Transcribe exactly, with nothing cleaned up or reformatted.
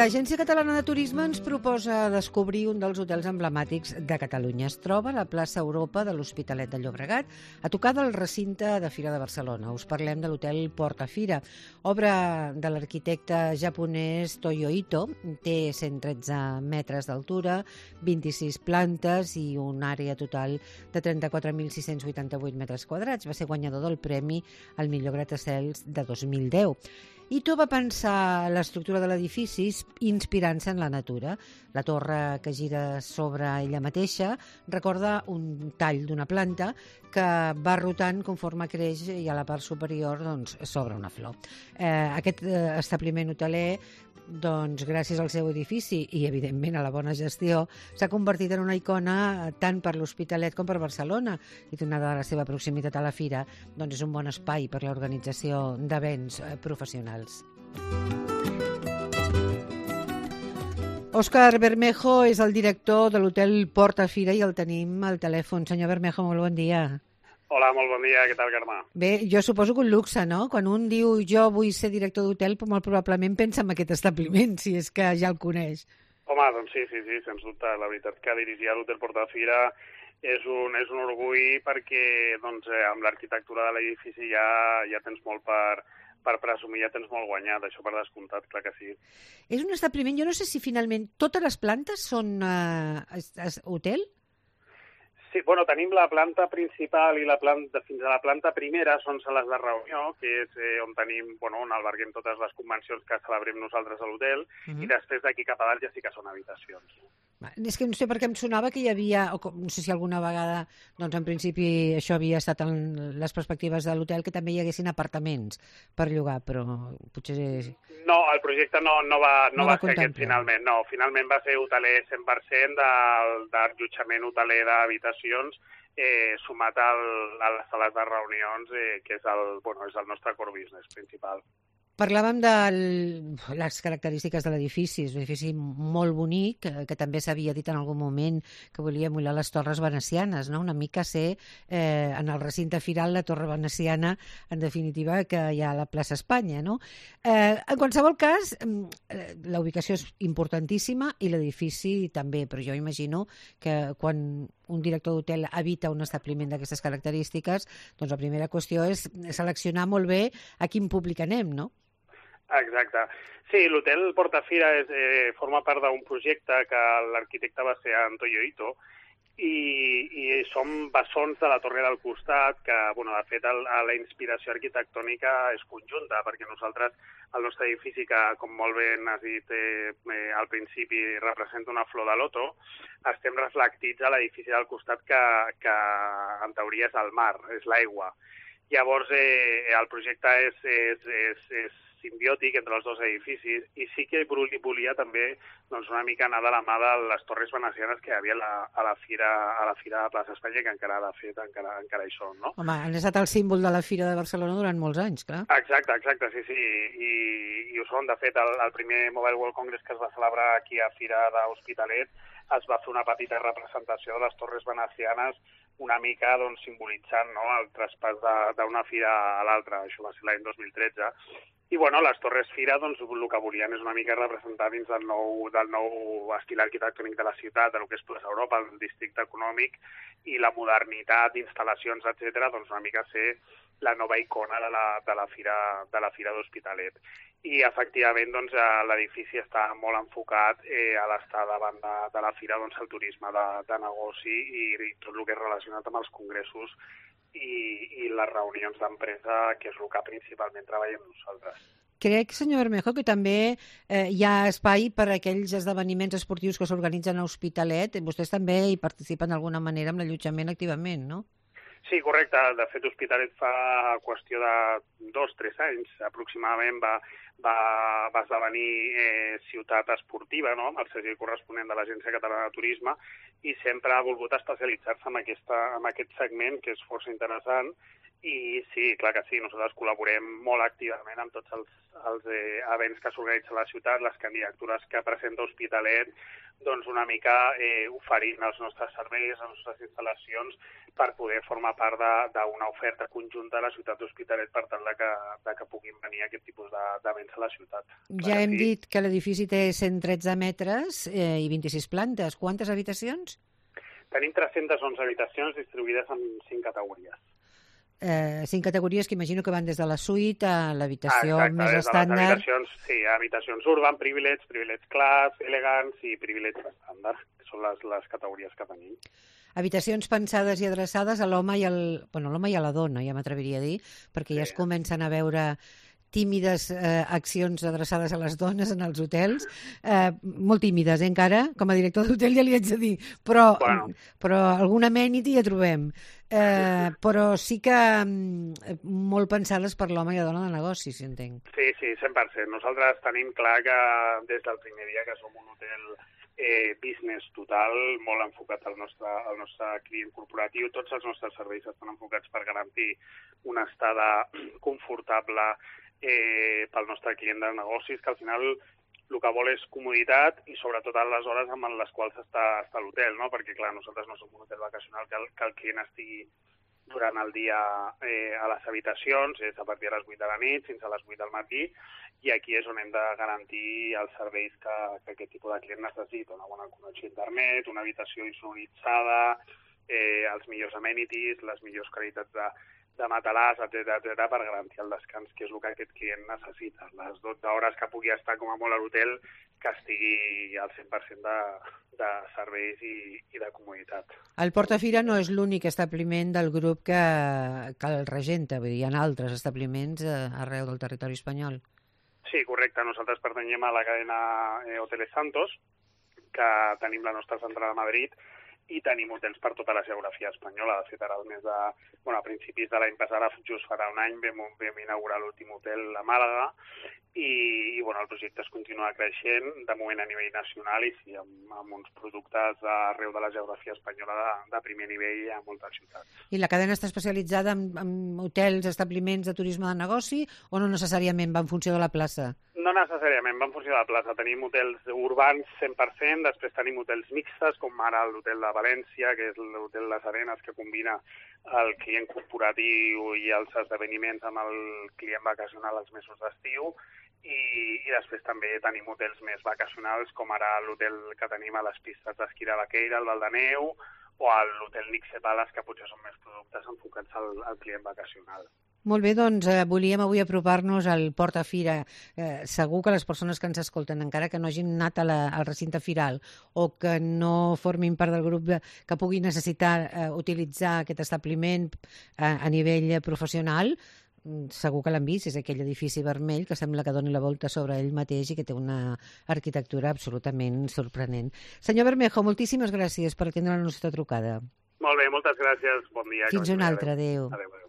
L'Agència Catalana de Turisme ens proposa descobrir un dels hotels emblemàtics de Catalunya. Es troba a la plaça Europa de l'Hospitalet de Llobregat, a tocar del recinte de Fira de Barcelona. Us parlem de l'hotel Portafira, obra de l'arquitecte japonès Toyo Ito. Té cent tretze metres d'altura, vint-i-sis plantes i una àrea total de trenta-quatre mil sis-cents vuitanta-vuit metres quadrats. Va ser guanyador del premi al millor gratacels de dos mil deu. Ito va pensar l'estructura de l'edifici inspirant-se en la natura. La torre que gira sobre ella mateixa recorda un tall d'una planta que va rotant conforme creix i a la part superior doncs, s'obre una flor. Eh, aquest eh, establiment hoteler, doncs, gràcies al seu edifici i, evidentment, a la bona gestió, s'ha convertit en una icona tant per l'Hospitalet com per Barcelona, i donada la seva proximitat a la fira, doncs és un bon espai per l'organització d'events professionals. Òscar Bermejo és el director de l'hotel Portafira i el tenim al telèfon. Senyor Bermejo, molt bon dia. Hola, molt bon dia. Què tal, Carme? Bé, jo suposo que un luxe, no? Quan un diu jo vull ser director d'hotel, molt probablement pensa en aquest establiment, si és que ja el coneix. Home, doncs sí, sí, sí, sens dubte. La veritat que dirigir l'hotel Portafira és un, és un orgull perquè doncs, amb l'arquitectura de l'edifici ja, ja tens molt per, per presumir, ja tens molt guanyat, això per descomptat, clar que sí. És un establiment, jo no sé si finalment totes les plantes són uh, es, es, hotel? Sí, bueno, tenim la planta principal i la planta, fins a la planta primera són sales de reunió, que és eh, on tenim, bueno, on alberguem totes les convencions que celebrem nosaltres a l'hotel, uh-huh. I després d'aquí cap a dalt ja sí que són habitacions. És que no sé per què em sonava que hi havia, o no sé si alguna vegada, doncs en principi això havia estat en les perspectives de l'hotel, que també hi haguessin apartaments per llogar, però potser... No, el projecte no, no va, no no va, va ser aquest finalment, no. Finalment va ser hoteler cent per cent d'allotjament hoteler d'habitacions, eh, sumat al, a les sales de reunions, eh, que és el, bueno, és el nostre core business principal. Parlàvem de les característiques de l'edifici. És un edifici molt bonic, que, que també s'havia dit en algun moment que volia emular les torres venecianes, no? Una mica ser eh, en el recinte firal la torre veneciana, en definitiva, que hi ha a la plaça Espanya, no? Eh, en qualsevol cas, eh, la ubicació és importantíssima i l'edifici també, però jo imagino que quan un director d'hotel habita un establiment d'aquestes característiques, doncs la primera qüestió és seleccionar molt bé a quin públic anem, no? Exacte. Sí, l'hotel Portafira és, eh, forma part d'un projecte que l'arquitecte va ser en Toyo Ito i, i som bessons de la torre del costat, que, bueno, de fet, el, la inspiració arquitectònica és conjunta, perquè nosaltres, el nostre edifici, que, com molt bé has dit eh, eh, al principi, representa una flor de loto, estem reflectits a l'edifici del costat que, que, en teoria, és el mar, és l'aigua. Llavors, eh, el projecte és, és, és, és simbiòtic entre els dos edificis i sí que volia també doncs, una mica anar de la mà de les torres venecianes que hi havia a la, a la Fira a la Fira de Plaça Espanya, que encara, de fet, encara, encara hi són, no? Home, han estat el símbol de la Fira de Barcelona durant molts anys, clar. Exacte, exacte, sí, sí, i, i ho són. De fet, el, el primer Mobile World Congress que es va celebrar aquí a Fira d'Hospitalet es va fer una petita representació de les torres venecianes, una mica doncs, simbolitzant, no?, el traspàs d'una fira a l'altra. Això va ser l'any dos mil tretze. I bueno, les Torres Fira, doncs, el que volien és una mica representar dins del nou, del nou estil arquitectònic de la ciutat, del que és Plaça Europa, el districte econòmic, i la modernitat, instal·lacions, etcètera, doncs una mica ser la nova icona de la, de la Fira de la Fira d'Hospitalet. I, efectivament, doncs, l'edifici està molt enfocat eh, a l'estar davant de, de la Fira, doncs, el turisme de, de negoci i, i tot el que és relacionat amb els congressos i, i les reunions d'empresa, que és el que principalment treballem nosaltres. Crec, senyor Bermejo, que també eh, hi ha espai per a aquells esdeveniments esportius que s'organitzen a Hospitalet. Vostès també hi participen d'alguna manera amb l'allotjament activament, no? Sí, correcte. De fet, Hospitalet fa qüestió de dos o tres anys aproximadament va, va, va esdevenir eh, ciutat esportiva, no?, amb el segell corresponent de l'Agència Catalana de Turisme, i sempre ha volgut especialitzar-se en, aquesta, en aquest segment, que és força interessant. I sí, clar que sí, nosaltres col·laborem molt activament amb tots els, els eh, events que s'organitzen a la ciutat, les candidatures que presenta Hospitalet, doncs una mica eh, oferint els nostres serveis, les nostres instal·lacions, per poder formar part d'una oferta conjunta a la ciutat d'Hospitalet per tal de que, de que puguin venir aquest tipus d'events a la ciutat. Ja hem sí. dit que l'edifici té cent tretze metres eh, i vint-i-sis plantes. Quantes habitacions? Tenim tres-centes onze habitacions distribuïdes en cinc categories. Eh, cinc categories que imagino que van des de la suite a l'habitació ah, més estàndard. Habitacions, sí, habitacions urban, privilege, privilege class, elegance i privilege estàndard, que són les, les categories que tenim. Habitacions pensades i adreçades a l'home i, al, bueno, l'home i a la dona, ja m'atreviria a dir, perquè sí. ja es comencen a veure tímides eh, accions adreçades a les dones en els hotels, eh, molt tímides eh, encara, com a director d'hotel ja li haig de dir, però, bueno. però alguna amenity ja trobem. Eh, però sí que mm, molt pensades per l'home i la dona de negoci, si entenc. Sí, sí, cent per cent. Nosaltres tenim clar que des del primer dia que som un hotel eh, business total, molt enfocat al nostre, al nostre client corporatiu. Tots els nostres serveis estan enfocats per garantir una estada confortable eh, pel nostre client de negocis, que al final el que vol és comoditat i sobretot a les hores amb les quals està, està l'hotel, no? Perquè clar, nosaltres no som un hotel vacacional que el, que el client estigui durant el dia eh, a les habitacions, és a partir de les vuit de la nit fins a les vuit del matí, i aquí és on hem de garantir els serveis que, que aquest tipus de client necessita, una bona connexió a internet, una habitació insonoritzada, eh, els millors amenities, les millors qualitats de, de matalàs, etcètera, etcètera, per garantir el descans, que és el que aquest client necessita. Les dotze hores que pugui estar com a molt a l'hotel, que estigui al cent per cent de, de serveis i, i de comoditat. El Portafira no és l'únic establiment del grup que, que el regenta, vull dir, hi ha altres establiments arreu del territori espanyol. Sí, correcte. Nosaltres pertanyem a la cadena Hoteles Santos, que tenim la nostra central a Madrid, i tenim hotels per tota la geografia espanyola. De fet, ara el mes de, bueno, a principis de l'any passat, just farà un any, vam, vam inaugurar l'últim hotel a Màlaga i, i bueno, el projecte es continua creixent, de moment a nivell nacional i sí, amb, amb uns productes arreu de la geografia espanyola de, de primer nivell a moltes ciutats. I la cadena està especialitzada en, en hotels, establiments de turisme de negoci o no necessàriament va en funció de la plaça? No necessàriament, va en funció de la plaça. Tenim hotels urbans cent per cent, després tenim hotels mixtes, com ara l'hotel de València, que és l'hotel Les Arenes, que combina el client corporatiu i els esdeveniments amb el client vacacional als mesos d'estiu, i, i després també tenim hotels més vacacionals, com ara l'hotel que tenim a les pistes d'esquí de Baqueira, el Val de Neu, o l'hotel Nixe Palace, que potser són més productes enfocats al, al client vacacional. Molt bé, doncs eh, volíem avui apropar-nos al Portafira. Eh, segur que les persones que ens escolten, encara que no hagin anat a la, al recinte firal o que no formin part del grup de, que pugui necessitar eh, utilitzar aquest establiment eh, a nivell professional, segur que l'han vist, és aquell edifici vermell que sembla que doni la volta sobre ell mateix i que té una arquitectura absolutament sorprenent. Senyor Bermejo, moltíssimes gràcies per atendre la nostra trucada. Molt bé, moltes gràcies, bon dia. Fins un altre, adéu. Adéu.